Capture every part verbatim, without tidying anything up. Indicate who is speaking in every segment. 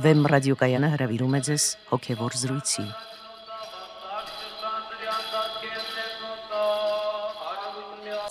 Speaker 1: Վեմ ռադիոկայանը հրավիրում է ձեզ հոգևոր զրույցի։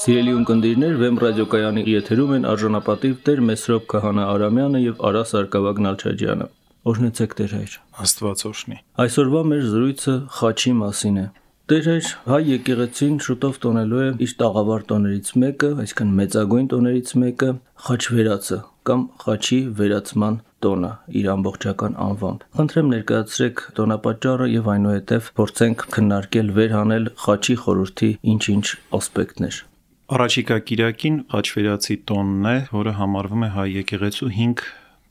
Speaker 2: Սիրելի ունկնդիրներ, Վեմ ռադիոկայանի եթերում են արժանապատիվ Տեր Մեսրոպ Քահանա Արամյանը եւ Արա Սարգսակ Նալչաջյանը։ Օրհնեցեք Տեր հայր։
Speaker 3: Աստված օրհնի։
Speaker 2: Այսօրվա մեր զրույցը խաչի մասին է։ Տեր հայր, հայ եկեղեցին շուտով տոնելու է իր տաղավար տոներից մեկը, այսինքն մեծագույն տոներից մեկը, խաչվերածը կամ խաչի վերացման տոնը իր ամբողջական անվամբ։ Խնդրեմ ներկայացրեք տոնապատճառը եւ այնուհետեւ փորձենք քննարկել վերհանել խաչի խորհրդի ինչ-ինչ ասպեկտներ։
Speaker 3: Առաջիկա կիրակին խաչվերածի տոնն է, որը համարվում է հայ եկեղեցու հինգ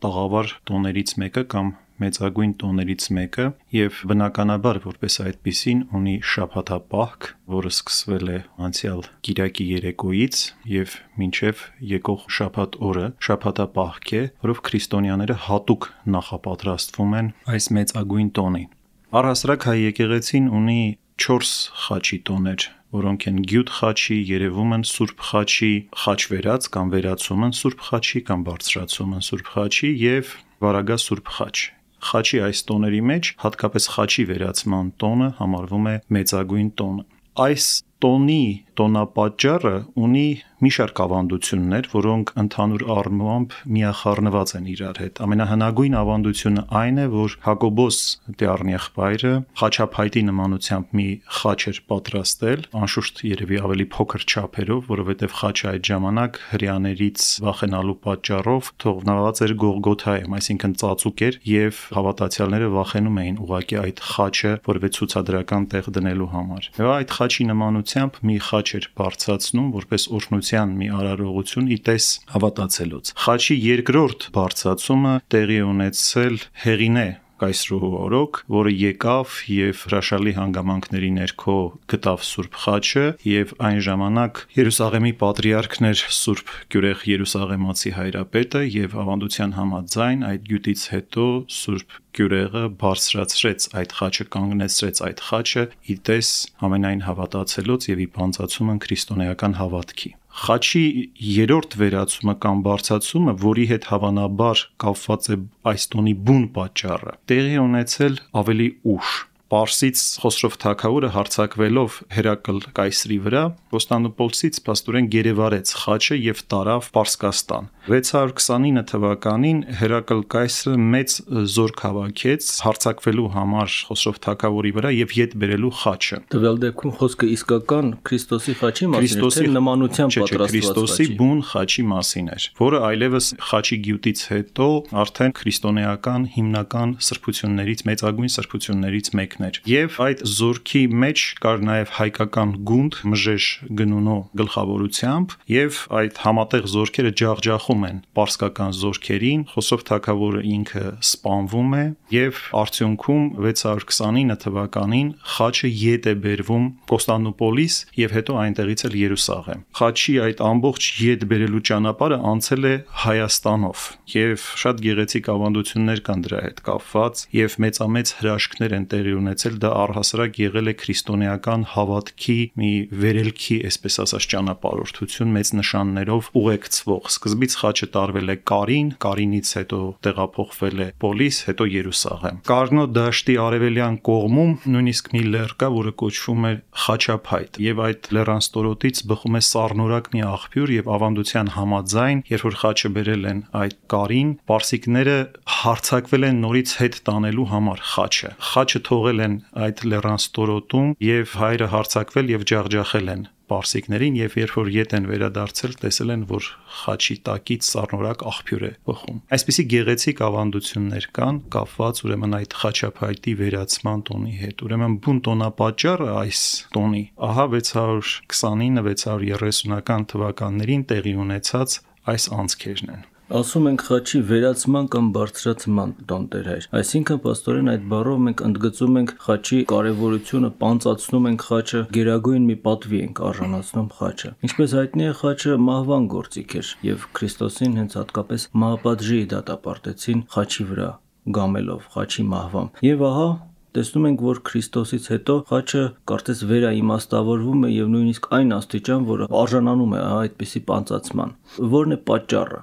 Speaker 3: տաղավար տոներից մեկը կամ մեծագույն տոներից մեկը եւ բնականաբար որպես այդպիսին ունի շաբաթապահք, որը սկսվել է անցյալ կիրակի երեկոյից եւ մինչեւ եկող շաբաթ օրը շաբաթապահք է, որով քրիստոնյաները հատուկ նախապատրաստվում են այս մեծագույն տոնին։ Առհասարակ հայ եկեղեցին ունի չորս խաչի տոներ, որոնք են գյուտ խաչի, երևումն Սուրբ խաչի, խաչվերած կամ վերացումն Սուրբ խաչի կամ բարձրացումն Սուրբ խաչի եւ վարագա Սուրբ խաչ։ Խաչի այս տոների մեջ հատկապես խաչի վերացման տոնը համարվում է մեծագույն տոնը։ Այս տոնի տոնապատճառը ունի մի շարք ավանդություններ, որոնք ընդհանուր առմամբ միախառնված են իրար հետ։ Ամենահնագույն ավանդությունը այն է, որ Հակոբոս Տեառնեղբայրը խաչափայտի նմանությամբ մի խաչ էր պատրաստել, անշուշտ երևի ավելի փոքր չափերով, որովհետև խաչը այդ ժամանակ հրեաներից վախենալու պատճառով թողնված էր Գողգոթայում, այսինքն ծածուկ էր, եւ հավատացյալները վախենում էին ուղղակի այդ խաչը որևէ ցուցադրական տեղ դնելու համար։ Եվ այդ խաչի նմանությամբ մի խաչ էր բարձրացնում որպես օրհնության մի արարողություն ի տես հավատացելուց։ Խաչի երկրորդ բարձրացումը տեղի ունեցել Հեղինե կայսրուհու օրոք, որը եկավ եւ հրաշալի հանգամանքների ներքո գտավ Սուրբ խաչը եւ այն ժամանակ Երուսաղեմի պատրիարքն էր Սուրբ Գյուրեղ Երուսաղեմացի հայրապետը եւ ավանդության համաձայն այդ գյուտից հետո Սուրբ Գյուրեղը բարձրացրեց այդ խաչը, կանգնեցրեց այդ խաչը ի տես ամենայն հավատացելուց եւ ի բանցացումն քրիստոնեական հավատքի։ Խաչի երրորդ վերացումը կամ բարձրացումը, որի հետ հավանաբար կապված է այս տոնի բուն պատճառը, տեղի ունեցել ավելի ուշ։ Պարսից Խոսրով թագավորը հարձակվելով Հերակլ կայսրի վրա, Կոստանդնուպոլսից փաստորեն գերեվարեց խաչը եւ տարավ Պարսկաստան։ վեց հարյուր քսանինը թվականին Հերակլ կայսրը մեծ զորք հավաքեց հարձակվելու համար Խոսրով թագավորի վրա եւ յետ բերելու խաչը։
Speaker 2: Տվյալ դեպքում խոսքը իսկական Քրիստոսի խաչի մասին է, նմանությամբ պատրաստված
Speaker 3: Քրիստոսի բուն խաչի մասին էր, որը այլևս խաչի գյուտից հետո արդեն քրիստոնեական հիմնական սրբություններից, մեծագույն սրբություններից մեկն էր։ Եվ այդ զորքի մեջ կար նաև հայկական գունդ մժեշ գնունո գլխավորությամբ, եւ այդ համատեղ զորքերը ջախջախում են պարսկական զորքերին, Խոսրով թագավորը ինքը սպանվում է եւ արդյունքում վեց հարյուր քսանինը թվականին խաչը յետ է բերվում Կոստանդնուպոլիս եւ հետո այնտեղից էլ Երուսաղեմ։ Խաչի այդ ամբողջ յետ բերելու ճանապարհը անցել է Հայաստանով եւ շատ գեղեցիկ ավանդություններ կան դրա հետ կապված եւ մեծամեծ հրաշքներ են տեղի ունեցել, դա առհասարակ եղել է քրիստոնեական հավատքի մի վերելքի, այսպես ասած, ճանապարհորդություն մեծ նշաններով ուղեկցվող։ Սկզբից խաչը տարվել է Կարին, Կարինից հետո տեղափոխվել է Պոլիս, հետո Երուսաղեմ։ Կարնո դաշտի արևելյան կողմում նույնիսկ մի լեռ կա, որը կոչվում է Խաչափայտ, եւ այդ լեռան ստորոտից բխում է սառնորակ մի աղբյուր եւ ավանդության համաձայն, երբ որ խաչը բերել են այդ Կարին, պարսիկները հարձակվել են նորից հետ տանելու համար խաչը։ Խաչը թողել են այդ լեռան ստորոտում եւ հայրը հարձակվել եւ ջախջախել են պարսիկներին եւ երբ որ յետ են վերադարձել, տեսել են, որ խաչի տակից սառնորակ աղբյուր է բխում։ Այսպիսի գեղեցիկ ավանդություններ կան կապված ուրեմն այդ խաչափայտի վերացման տոնի հետ։ Ուրեմն բուն տոնապատճառը այս տոնի ահա վեց հարյուր քսանինը վեց հարյուր երեսունական թվականներին տեղի ունեցած այս անցքերն են։
Speaker 2: Ասում ենք խաչի վերացման կամ բարձրացման տոն Տեր հայր։ Այսինքն պաստորեն այդ բառով մենք ընդգծում ենք խաչի կարևորությունը, պանծացնում ենք խաչը, գերագույն մի պատվի ենք արժանացնում խաչը։ Ինչպես հայտնի է, խաչը մահվան գործիք էր եւ Քրիստոսին հենց հատկապես մահապատժի դատապարտեցին խաչի վրա գամելով, խաչի մահվամբ։ Եվ ահա տեսնում ենք, որ Քրիստոսից հետո խաչը կարծես վերաիմաստավորվում է եւ նույնիսկ այն աստիճան, որը արժանանում է այդպիսի պանծացման։ Որն է պատճառը,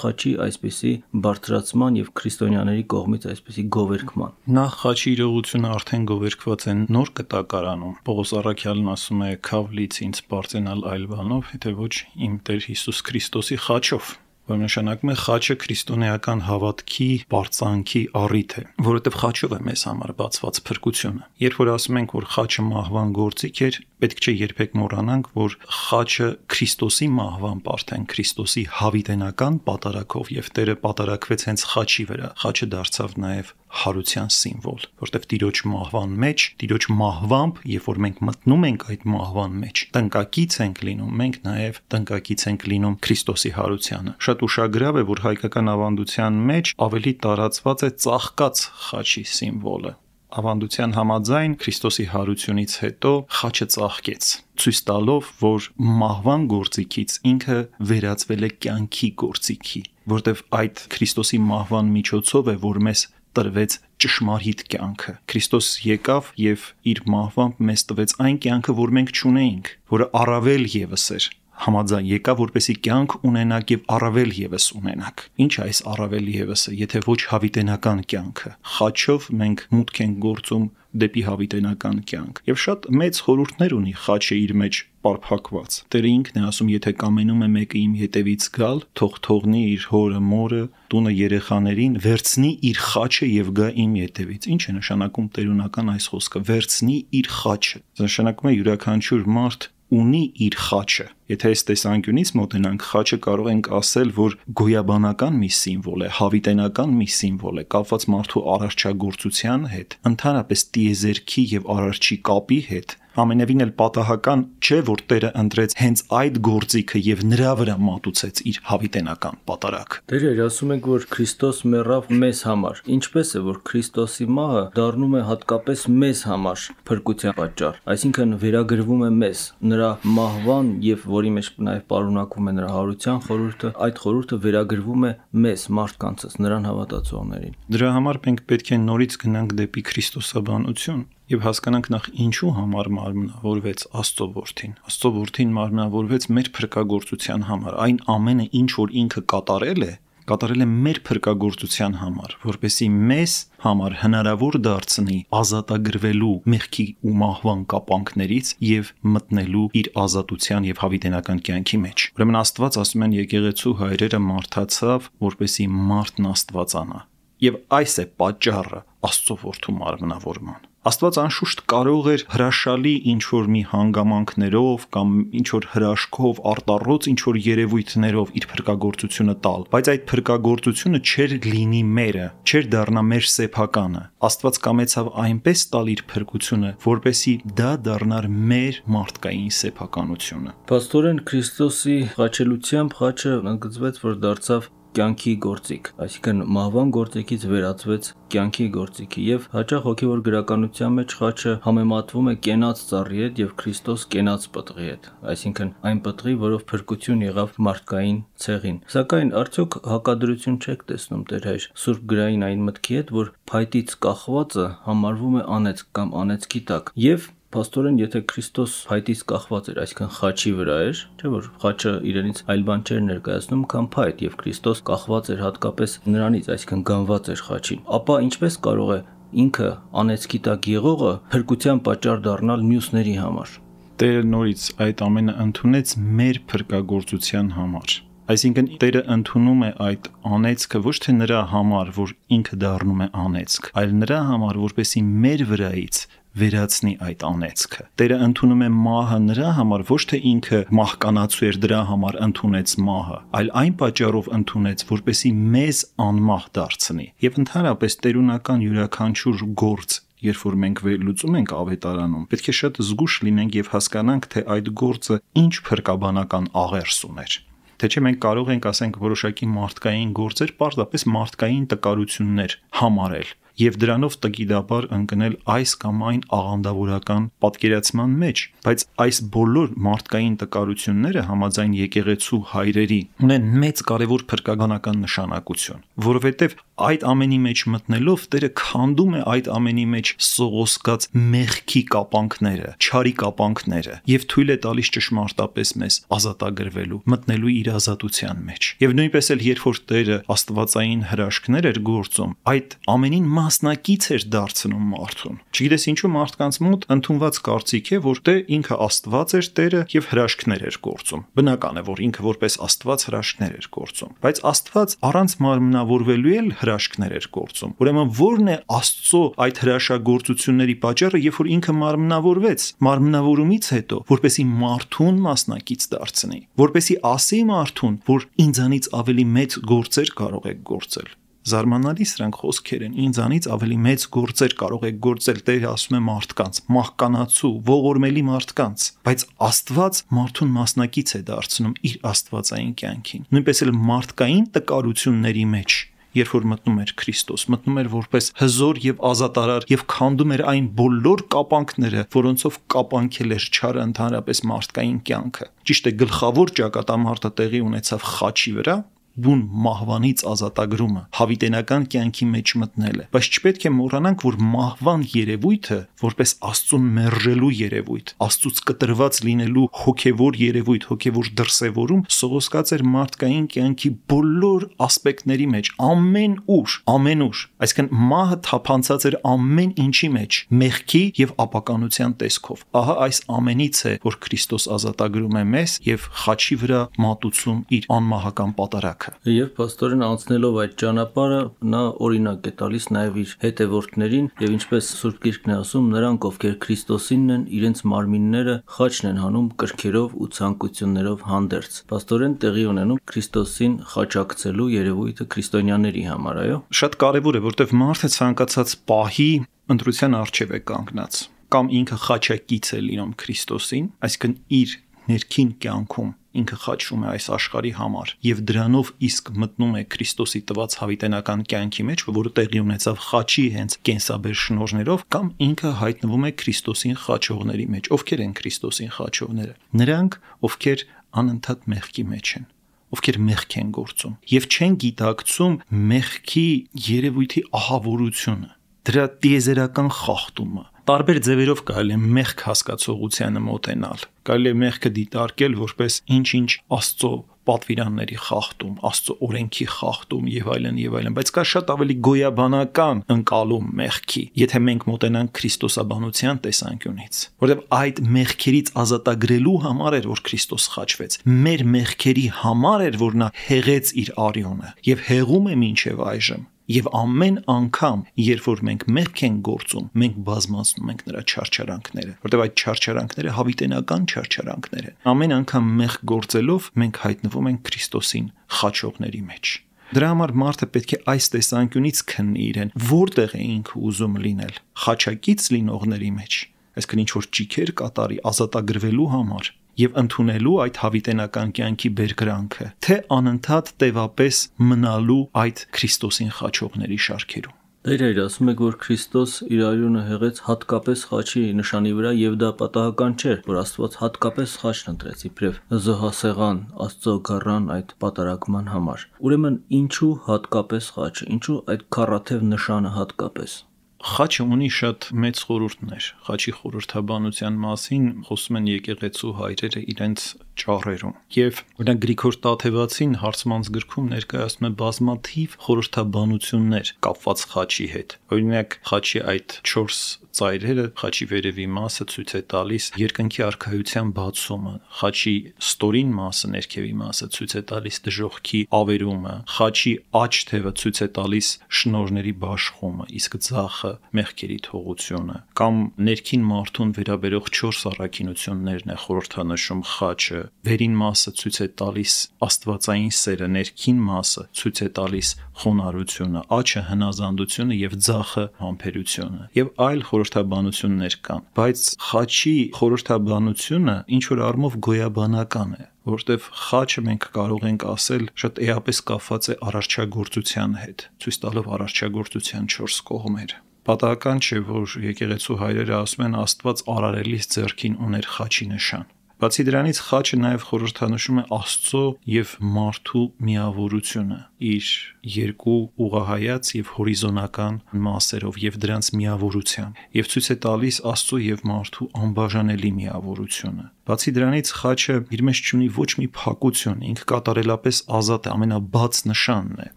Speaker 2: խաչի այսպիսի բարձրացման եւ քրիստոնյաների կողմից այսպիսի գովերքման։
Speaker 3: Նախ խաչի իրողությունը արդեն գովերքված է նոր կտակարանում։ Պողոս առաքյալն ասում է. «Քավլից ինձ բարձենալ այլ բանով, եթե ոչ իմ Տեր Հիսուս Քրիստոսի խաչով», որ նշանակում է խաչը քրիստոնեական հավատքի, բարձանքի առիթ է, որովհետև խաչով է մեզ համար բացված փրկությունը։ Երբ որ ասում ենք, որ խաչը մահվան գործիք էր, պետք չէ երբեք մոռանանք, որ խաչը Քրիստոսի մահվան արդեն Քրիստոսի հավիտենական պատարագով եւ Տերը պատարագվեց հենց խաչի վրա։ Խաչը դարձավ նաեւ հարության սիմվոլ, որտեղ Տիրոջ մահվան մեջ, Տիրոջ մահվամբ, երբ որ մենք մտնում ենք այդ մահվան մեջ, տնկակից ենք լինում, մենք նաև տնկակից ենք լինում Քրիստոսի հարությանը։ Շատ ուշագրավ է, որ հայկական ավանդության մեջ ավելի տարածված է ծաղկած խաչի սիմվոլը։ Ավանդության համաձայն Քրիստոսի հարությունից հետո խաչը ծաղկեց, ցույց տալով, որ մահվան գործիքից ինքը վերածվել է կյանքի գործիքի, որտեղ այդ Քրիստոսի մահվան միջոցով է, որ մեզ տրվեց ճշմարիտ կյանքը։ Քրիստոս եկավ եւ իր մահվամբ մեզ տվեց այն կյանքը, որ մենք չունեինք, որը առավել եւս էր համաձայն եկավ, որպեսի կյանք ունենակ եւ առավել եւս ունենակ։ Ինչ է այս առավել եւսը, եթե ոչ հավիտենական կյանքը։ Խաչով մենք մուտք ենք գործում դեպի հավիտենական կյանք։ Եվ շատ մեծ խորհուրդներ ունի խաչը իր մեջ պարփակված։ Տերը ինքն է ասում, եթե կամենում է մեկը իմ հետևից գալ, թող թողնի իր հորը, մորը, տունը, երեխաներին, վերցնի իր խաչը եւ գա իմ հետևից։ Ինչ է նշանակում տերունական այս խոսքը։ Վերցնի իր խաչը։ Դա նշանակում է յուրաքանչյուր մարդ ունի իր խաչը։ Եթե այս տեսանկյունից մոտենանք, խաչը կարող ենք ասել, որ գոյաբանական մի սիմվոլ է, հավիտենական մի սիմվոլ է, կապված մարդու արարչագործության հետ, ընդհանրապես տիեզերքի եւ արարչի կապի հետ։ Ամենևին էլ պատահական չէ, որ Տերը ընտրեց հենց այդ գործիքը եւ նրա վրա մատուցեց իր հավիտենական պատարագը։
Speaker 2: Տերը ասում եք, որ Քրիստոս մեռավ մեզ համար։ Ինչպես է, որ Քրիստոսի մահը դառնում է հատկապես մեզ համար փրկության պատճառ, այսինքն վերագրվում է մեզ, նրա մահվան եւ որի մեջ նաեւ պարունակվում է նրա հարության խորհուրդը, այդ խորհուրդը վերագրվում է մեզ, մարդկանցս, նրան հավատացողներին։
Speaker 3: Դրա համար մենք պետք է նորից գնանք դեպի քրիստոսաբանություն եւ հասկանանք նախ ինչու համար մարմնավորվեց Աստծո որդին։ Աստծո որդին մարմնավորվեց մեր փրկagorցության համար։ Այն ամենը, ինչ որ ինքը կատարել է, կատարել է մեր փրկagorցության համար, որպեսզի մեզ համար հնարավոր դարձնի ազատագրվելու մեղքի ու մահվան կապանքներից եւ մտնելու իր ազատության եւ հավիտենական կյանքի մեջ։ Ուրեմն Աստված, ասում են եկեղեցու հայրերը, մարդացավ, որպեսզի մարդն աստվածանա։ Եվ այս է պատճառը Աստծո որդու մարմնավորման։ Աստված անշուշտ կարող էր հրաշալի ինչ-որ մի հանգամանքներով կամ ինչ-որ հրաշքով, արտառոց ինչ-որ երևույթներով իր փրկagorցությունը տալ, բայց այդ փրկagorցությունը չէր լինի մերը, չէր դառնա մեր սեփականը։ Աստված կամեցավ այնպես տալ իր փրկությունը, որպեսզի դա դառնար մեր մարդկային սեփականությունը։
Speaker 2: Պաստորեն Քրիստոսի խաչելությամբ խաչը ընդգծվեց, որ դարձավ կյանքի գործիք, այսինքն մահվան գործիքից վերածվեց կյանքի գործիքի եւ հաճախ հոգեվոր գրականության մեջ խաչը համեմատվում է կենաց ծառի հետ եւ Քրիստոս կենաց պտղի հետ, այսինքն այն պտղի, որով փրկություն եղավ մարդկային ցեղին։ Սակայն արդյոք հակադրություն չեք տեսնում Տեր հայր Սուրբ գրային այն մտքի հետ, որ փայտից կախվածը համարվում է անեծք կամ անեծքի տակ եւ Պաստորեն, եթե Քրիստոս փայտից կախված էր, այսինքն խաչի վրա էր, չէ՞ որ խաչը իրենից այլ բան չէր ներկայացնում, քան փայտ, եւ Քրիստոս կախված էր հատկապես նրանից, այսինքն գանված էր խաչին, ապա ինչպես կարող է ինքը անեծքի տակ եղողը փրկության պատճառ դառնալ մյուսների համար։
Speaker 3: Տերը նորից այդ ամենը ընդունեց մեր փրկagorցության համար։ Այսինքն Տերը ընդունում է այդ անեծքը ոչ թե նրա համար, որ ինքը դառնում է անեծք, այլ նրա համար, որպեսզի մեր վրայից վերացնի այդ անեծքը։ Տերը ընդունում է մահը նրա համար, ոչ թե ինքը մահկանացու էր դրա համար ընդունեց մահը, այլ այն պատճառով ընդունեց, որպեսզի մեզ անմահ դարձնի։ Եվ ընդհանրապես տերունական յուրաքանչյուր գործ, երբ որ մենք վերլուծում ենք ավետարանում, պետք է շատ զգուշ լինենք եւ հասկանանք, թե այդ գործը ինչ փրկաբանական աղերս ուներ։ Թե չէ մենք կարող ենք ասենք որոշակի մարդկային գործեր պարզապես մարդկային տկարություններ համարել եւ դրանով տգիտաբար ընկնել այս կամ այն աղանդավորական պատկերացման մեջ, բայց այս բոլոր մարդկային տկարությունները համաձայն եկեղեցու հայրերի ունեն մեծ կարևոր փրկականական նշանակություն, որովհետեւ այդ ամենի մեջ մտնելով Տերը քանդում է այդ ամենի մեջ սողոսկած մեղքի կապանքները, չարի կապանքները եւ թույլ է տալիս ճշմարտապես մեզ ազատագրվելու, մտնելու իր ազատության մեջ։ Եվ նույնպես էլ երբ որ Տերը աստվածային հրաշքներ էր գործում, այդ ամենին մասնակից էր դարձնում մարդուն։ Չգիտես ինչու մարդկանց մոտ ընդունված կարծիք է, որ դե ինքը Աստված էր Տերը եւ հրաշքներ էր գործում։ Բնական է, որ ինքը որպես Աստված հրաշքներ էր գործում, բայց Աստված առանց մարմնավորվելու էլ հրաշքներ էր գործում։ Ուրեմն ո՞րն է Աստծո այդ հրաշագործությունների պատճառը, երբ որ ինքը մարմնավորվեց, մարմնավորումից հետո, որպեսի մարդուն մասնակից դարձնի, որպեսի ասի մարդուն, որ ինձանից ավելի մեծ գործեր կարող եք գործել։ Զարմանալի սրանք խոսքեր են, ինձանից ավելի մեծ գործեր կարող եք գործել, Տերը ասում է մարդկանց, մահկանացու, ողորմելի մարդկանց, բայց Աստված մարդուն մասնակից է դարձնում իր աստվածային կյանքին։ Նույնպես էլ մարդկային տկարությունների մեջ, երբ որ մտնում էր Քրիստոս, մտնում էր որպես հզոր եւ ազատարար եւ քանդում էր այն բոլոր կապանքները, որոնցով կապանքել էր չարը ընդհանրապես մարդկային կյանքը։ Ճիշտ է, գլխավոր ճակատամարտը տեղի ունեցավ խաչի վրա, բուն մահվանից ազատագրումը, հավիտենական կյանքի մեջ մտնելը, բայց չպետք է մոռանանք, որ մահվան երևույթը, որպես Աստծուն մերժելու երևույթ, Աստծուց կտրված լինելու հոգևոր երևույթ, հոգևոր դրսևորում, սողոսկած էր մարդկային կյանքի բոլոր ասպեկտների մեջ, ամեն ուր, ամեն ուր, այսինքն մահը թափանցած էր ամեն ինչի մեջ, մեղքի եւ ապականության տեսքով։ Ահա այս ամենից է, որ Քրիստոս ազատագրում է մեզ եւ խաչի վրա մատուցում իր անմահական պատարագը։
Speaker 2: Եվ պաստորեն անցնելով այդ ճանապարհը նա օրինակ է տալիս նաև իր հետևորդներին եւ ինչպես Սուրբ Գիրքն է ասում, նրանք ովքեր Քրիստոսինն են, իրենց մարմինները խաչն են հանում կրքերով ու ցանկություններով հանդերձ։ Պաստորեն տեղի ունենում Քրիստոսին խաչակցելու երևույթը քրիստոնյաների համար, այո։
Speaker 3: Շատ կարևոր է, որտեղ մարդը ցանկացած պահի ընտրության առջև է կանգնած, կամ ինքը խաչակից է լինում Քրիստոսին, այսինքն իր ներքին կյանքում ինքը խաչվում է այս աշխարհի համար եւ դրանով իսկ մտնում է Քրիստոսի տված հավիտենական կյանքի մեջ, որը տեղի ունեցավ խաչի հենց կենսաբեր շնորհներով, կամ ինքը հայտնվում է Քրիստոսին խաչողների մեջ։ Ովքեր են Քրիստոսին խաչողները։ Նրանք, ովքեր անընդհատ մեղքի մեջ են, ովքեր մեղք են գործում եւ չեն գիտակցում մեղքի երևույթի ահավորությունը, դրա տիեզերական խախտումը։ Տարբեր ձևերով կարելի է մեղք հասկացողությանը մոտենալ, կարելի է մեղքը դիտարկել որպես ինչ-ինչ Աստծո պատվիրանների խախտում, Աստծո օրենքի խախտում եւ այլն եւ այլն, բայց կա շատ ավելի գոյաբանական ընկալում մեղքի, եթե մենք մոտենանք քրիստոսաբանության տեսանկյունից, որովհետեւ այդ մեղքերից ազատագրելու համար էր, որ Քրիստոս խաչվեց, մեր մեղքերի համար էր, որ նա հեղեց իր արյունը եւ հեղում է մինչեւ այժմ։ Եվ ամեն անգամ, երբ որ մենք մեղք ենք գործում, մենք բազմացնում ենք նրա չարչարանքները, որտեղ այդ չարչարանքները հավիտենական չարչարանքներ են։ Ամեն անգամ մեղք գործելով մենք հայտնվում ենք Քրիստոսին խաչողների մեջ։ Դրա համար մարդը պետք է այս տեսանկյունից քննի իրեն, որտեղ է ինքը ուզում լինել, խաչակից լինողների մեջ, այսինքն ինչ որ ճիքեր կատարի ազատագրվելու համար եւ ընդունելու այդ հավիտենական կյանքի բերկրանքը, թե անընդհատ տևապես մնալու այդ Քրիստոսին խաչողների շարքերում։
Speaker 2: Տեր ասում եք, որ Քրիստոս իր արյունը հեղեց հատկապես խաչի նշանի վրա եւ դա պատահական չէր, որ Աստված հատկապես խաչն ընտրեց իբրև զոհասեղան Աստծո գառան այդ պատարագման համար։ Ուրեմն ինչու հատկապես խաչը, ինչու այդ քառաթև նշանը հատկապես։
Speaker 3: Խաչը ունի շատ մեծ խորհուրդներ։ Խաչի խորհրդաբանության մասին խոսում են եկեղեցու հայրերը իրենց ճառերում։ Եվ օրինակ Գրիգոր Տաթևացին հարցմանց գրքում ներկայացնում է բազմաթիվ խորհրդաբանություններ կապված խաչի հետ։ Օրինակ խաչի այդ չորս ծայրերը, խաչի վերևի մասը ցույց է տալիս երկնքի արքայության բացումը, խաչի ստորին մասը, ներքևի մասը ցույց է տալիս դժոխքի ավերումը, խաչի աջ թևը ցույց է տալիս շնորհների բաշխումը, իսկ ձախը մեղքերի թողությունը, կամ ներքին մարդուն վերաբերող չորս առաքինություններն է խորհրդանշում խաչը, վերին մասը ցույց է տալիս աստվածային սերը, ներքին մասը ցույց է տալիս խոնարհությունը, աչը հնազանդությունը եւ ձախը համբերությունը եւ այլ խորհրդաբանություններ կան, բայց խաչի խորհրդաբանությունը ինչ որ առումով գոյաբանական է, որտեվ խաչը մենք կարող ենք ասել շատ էապես կապված է արարչագործության հետ, ցույց տալով արարչագործության չորս կողմեր։ Պատահական չէ, որ եկեղեցու հայրերը ասում են Աստված արարելիս ձեռքին ուներ խաչի նշան։ Բացի դրանից խաչը նաև խորհրդանշում է Աստծո եւ մարդու միավորությունը իր երկու ուղղահայաց եւ հորիզոնական մասերով եւ դրանց միավորությամբ եւ ցույց է տալիս Աստծո եւ մարդու անբաժանելի միավորությունը։ Բացի դրանից խաչը իր մեջ ունի ոչ մի փակություն, ինքը կատարելապես ազատ է, ամենաբաց նշանն է։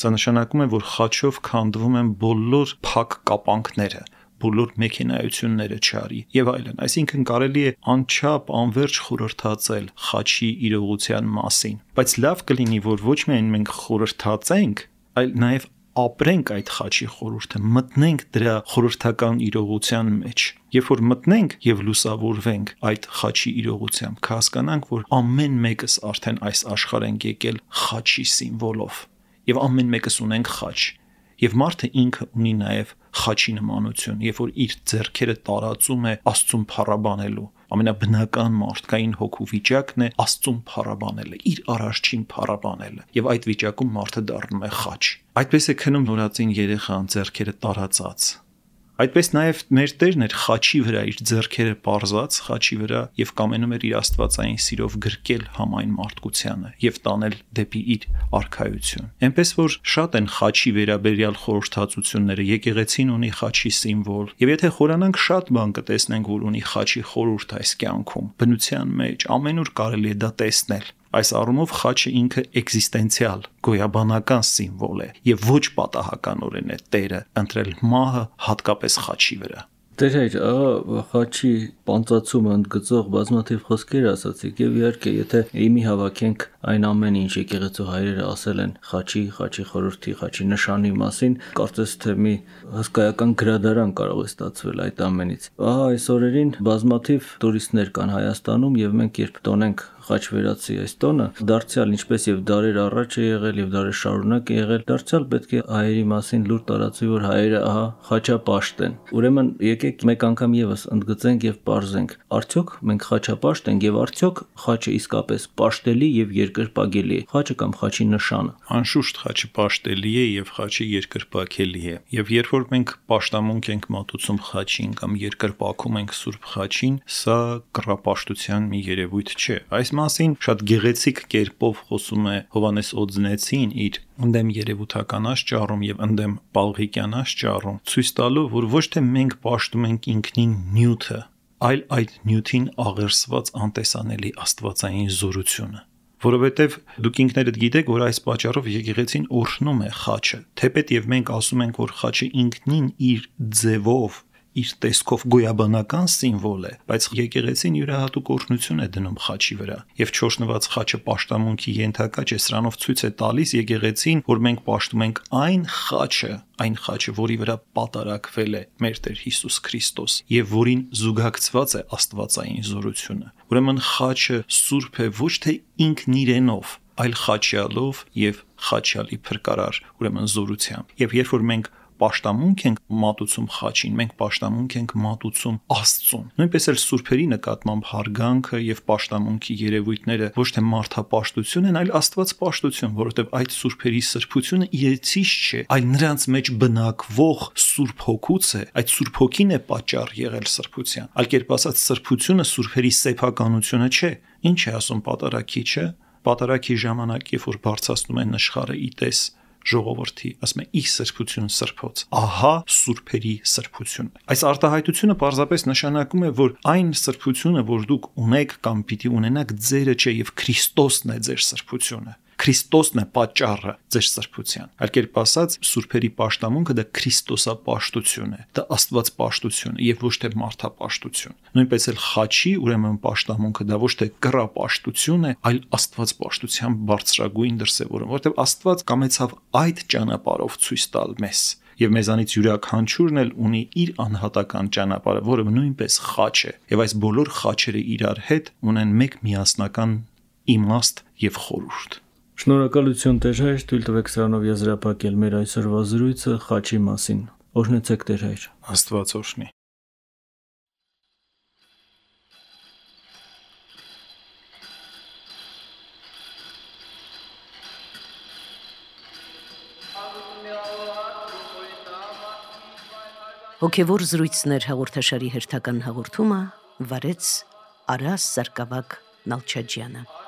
Speaker 3: Սա նշանակում է, որ խաչով քանդվում են բոլոր փակ կապանքները, բոլոր մեքենայությունները չարի եւ այլն, այսինքն կարելի է անչափ անverջ խորհրդածել խաչի իրողության մասին, բայց լավ կլինի, որ ոչ միայն մենք խորհրդածենք, այլ նաեւ ապրենք այդ խաչի խորհուրդը, մտնենք դրա խորհրդական իրողության մեջ։ Երբ որ մտնենք եւ լուսավորվենք այդ խաչի իրողությամբ, կհասկանանք, որ ամեն մեկս արդեն այս աշխարհ ենք եկել խաչի սիմվոլով եւ ամեն մեկս ունենք խաչ։ Եվ մարդը ինքը ունի նաև խաչի նմանություն, երբ որ իր ձեռքերը տարածում է Աստծուն փառաբանելու, ամենաբնական մարդկային հոգու վիճակն է Աստծուն փառաբանելը, իր արարչին փառաբանելը, եւ այդ վիճակում մարդը դառնում է խաչ։ Այդպես է քնում նորածին երեխան ձեռքերը տարածած։ Այդպես նաև մեր Տերն էր խաչի վրա իր ձեռքերը պարզած խաչի վրա եւ կամենում էր իր աստվածային սիրով գրկել համայն մարդկությանը եւ տանել դեպի իր արքայություն։ Էնպես որ շատ են խաչի վերաբերյալ խորհրդածությունները, եկեղեցին ունի խաչի սիմվոլ եւ եթե խորանանք շատ բան կտեսնենք, որ ունի խաչի խորհուրդ այս կյանքում, բնության մեջ ամենուր կարելի է դա տեսնել։ Այս առումով խաչը ինքը էգզիստենցիալ, գոյաբանական սիմվոլ է եւ ոչ պատահականորեն է Տերը ընտրել մահը հատկապես խաչի վրա։
Speaker 2: Տեր հայր, ահա խաչի պանծացումը ընդգծող բազմաթիվ խոսքեր ասացիք եւ իհարկե եթե իմի հավաքենք այն ամեն ինչ եկեղեցու հայրերը ասել են խաչի, խաչի խորհրդի, խաչի նշանի մասին, կարծես թե մի հսկայական գրադարան կարող է ստացվել այդ ամենից։ Ահա այս օրերին բազմաթիվ տուրիստներ կան Հայաստանում եւ մենք երբ տոնենք խաչ վերացի այս տոնը, դարձյալ ինչպես եւ դարեր առաջ է եղել եւ դարեր շարունակ է եղել, դարձյալ պետք է հայերի մասին լուր տարածվի, որ հայերը ահա խաչապաշտ են։ Ուրեմն եկեք մեկ անգամ եւս ընդգծենք եւ պարզենք, արդյոք մենք խաչապաշտ ենք եւ արդյոք խաչը իսկապես պաշտելի եւ երկրպագելի է, խաչը կամ խաչի նշանը։
Speaker 3: Անշուշտ խաչը պաշտելի է եւ խաչը երկրպագելի է։ Եվ երբ որ մենք պաշտամունք ենք մատուցում խաչին կամ երկրպագում ենք Սուրբ խաչին, սա կռապաշտության մի երևույթ չէ։ Այս մասին շատ գեղեցիկ կերպով խոսում է Հովանես Օձնեցին իր ընդեմ երևութական աշճարում եւ ընդեմ Պալղիկյան աշճարում, ցույց տալու, որ ոչ թե մենք պաշտում ենք ինքնին նյութը, այլ այդ նյութին աղերսված անտեսանելի աստվածային զորությունը։ Որովհետև դուք ինքներդ գիտեք, որ այս պատճառով եկեղեցին օրհնում է խաչը, թեպետ եւ մենք ասում ենք, որ խաչը ինքնին իր ձևով իր տեսքով գոյաբանական սիմվոլ է, բայց եկեղեցին յուրահատուկ օրհնություն է դնում խաչի վրա եւ չորշնված խաչը պաշտամունքի ենթակա չէ, սրանով ցույց է տալիս եկեղեցին, որ մենք պաշտում ենք այն խաչը, այն խաչը, որի վրա պատարակվել է մեր Տեր Հիսուս Քրիստոս եւ որին զուգակցված է աստվածային զորությունը։ Ուրեմն խաչը սուրբ է ոչ թե ինքն իրենով, այլ խաչյալով եւ խաչյալի փրկարար, ուրեմն զորությամբ։ Եվ երբ որ մենք պաշտամունք ենք մատուցում խաչին, մենք պաշտամունք ենք մատուցում Աստծուն։ Նույնպես էլ սուրբերի նկատմամբ հարգանքը եւ պաշտամունքի երևույթները ոչ թե մարդապաշտություն են, այլ Աստվածպաշտություն, որովհետեւ այդ սուրբերի սրբությունը իրեցից չէ, այլ նրանց մեջ բնակվող Սուրբ Հոգուց է, այդ Սուրբ Հոգին է պատճառ եղել սրբության։ Այլ կերպ ասած, սրբությունը սուրբերի սեփականությունը չէ։ Ինչ է ասում պատարագիչը։ Պատարագի ժամանակ, երբ որ բարձրացնում են նշխարը իտես ժողովրդի, ասում է՝ «Ի սրբություն սրբոց»։ Ահա սուրբերի սրբությունը։ Այս արտահայտությունը պարզապես նշանակում է, որ այն սրբությունը, որ դուք ունեք կամ պիտի ունենաք, ձերը չէ եւ Քրիստոսն է ձեր սրբությունը։ Քրիստոսն է պատճառը ձեր սրբության։ Այլ կերպ ասած, սուրբերի պաշտամունքը դա Քրիստոսապաշտություն է, դա Աստվածպաշտություն է եւ ոչ թե մարդապաշտություն։ Նույնպես էլ խաչի ուրեմն պաշտամունքը դա ոչ թե կռապաշտություն է, այլ Աստվածպաշտության բարձրագույն դրսևորում, որովհետեւ Աստված կամեցավ այդ ճանապարհով ցույց տալ մեզ։ Եվ մեզանից յուրաքանչյուրն էլ ունի իր անհատական ճանապարհը, որը նույնպես խաչ է, եւ այս բոլոր խաչերը իրար հետ ունեն մեկ միասնական իմաստ եւ խորհուրդ։
Speaker 2: Շնորհակալություն Տեր հայր, թույլ տվեք սրանով եզրափակել մեր այսօրվա զրույցը խաչի մասին։ Օրհնեցեք Տեր հայր։
Speaker 3: Աստված օրհնի։
Speaker 1: Հոգևոր զրույցներ հաղորդաշարի հերթական հաղորդումը վարեց Արաս Սարգսակ Նալչաջյանը։